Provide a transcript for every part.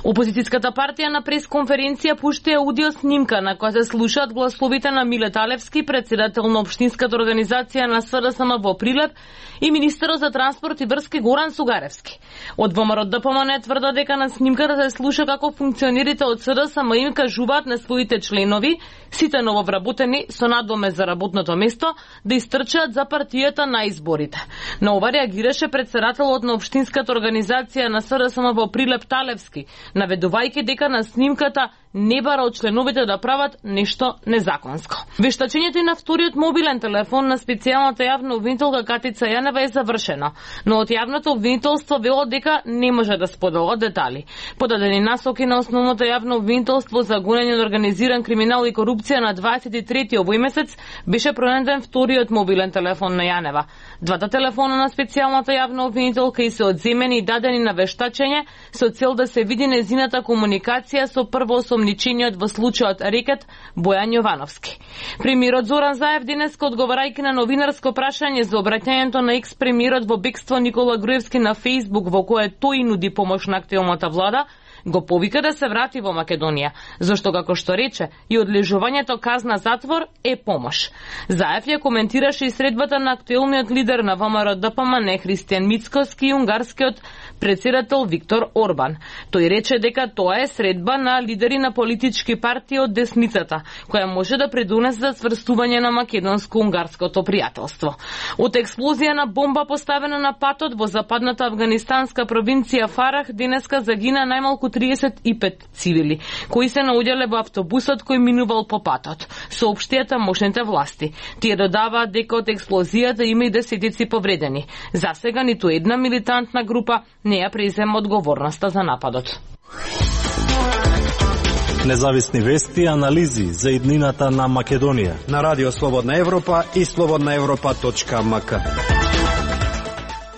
Опозицијската партија на пресконференција пушти аудио снимка на која се слушаат гласовите на Миле Талевски, председател на општинската организација на СДСМ во Прилеп, и министерот за транспорт и врски Горан Сугаревски. Од ВМРО-ДПМН тврдат дека на снимката се слуша како функционерите од СДСМ им кажуваат на своите членови, сите нововработени со надоме за работното место, да истрчаат за партијата на изборите. На ова реагираше председателот на општинската организација на СДСМ во Прилеп Талевски, наведувајќи дека на снимката не бара од членовите да прават нешто незаконско. Вештачењето и на вториот мобилен телефон на специјалната јавна обвинителка Катица Јанева е завршено, но од јавното обвинителство вело дека не може да споделува детали. Подадени насоки на основното јавно обвинителство за гонење на организиран криминал и корупција на 23 овој месец беше пронеден вториот мобилен телефон на Јанева. Двата телефона на специјалната јавна обвинителка и се одземени и дадени на вештачење со цел да се види незината комуникација со првоосомничениот во случајот Рекет Бојан Јовановски. Премиерот Зоран Заев денеска, одговарајќи на новинарско прашање за обраќањето на екс-премиерот во бегство Никола Груевски на Фејсбук, во кое тој нуди помош на актуелната влада, го повика да се врати во Македонија, зашто, како што рече, и одлежувањето казна затвор е помош. Заев ја коментираше и средбата на актуелниот лидер на ВМРО-ДПМН Христијан Мицкоски и унгарскиот председател Виктор Орбан. Тој рече дека тоа е средба на лидери на политички партии од десницата, која може да придонесе за цврстување на македонско-унгарското пријателство. Од експлозија на бомба поставена на патот во западната афганистанска провинција Фарах денеска загина најмалку 35 цивили, кои се наоѓале во автобусот кој минувал по патот, соопштија тамошните власти. Тие додаваат дека од експлозијата има и десетици повредени. Засега ниту една милитантна група не ја презема одговорноста за нападот. Независни вести и анализи за иднината на Македонија на Радио Слободна Европа и slobodnaevropa.mk.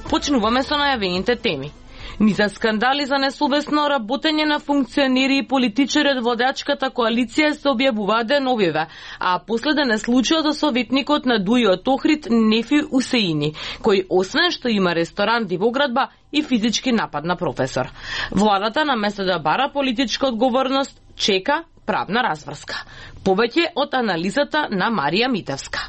Почнуваме со најавените теми. Низа скандали за несовесно работење на функционери и политичари од владачката коалиција се објавуваат деновиве, а последен е случајот со советникот на ДУИ од Охрид Нефи Усеини, кој освен што има ресторант и воградба и физички напад на професор. Владата наместо да бара политичка одговорност, чека правна разврска. Повеќе од анализата на Марија Митевска.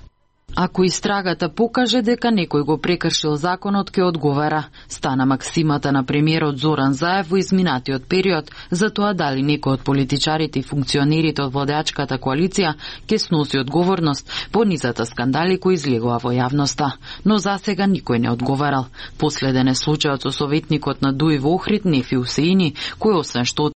Ако истрагата покаже дека некој го прекршил законот, ќе одговара. Стана максимата на премиерот Зоран Заев во изминатиот период за тоа дали некој од политичарите и функционерите од владачката коалиција ќе сноси одговорност по низата скандали кои излегува во јавноста. Но засега никој не одговарал. Последен е случајот со советникот на ДУИ во Охрид Нефи Усеини, кој освен што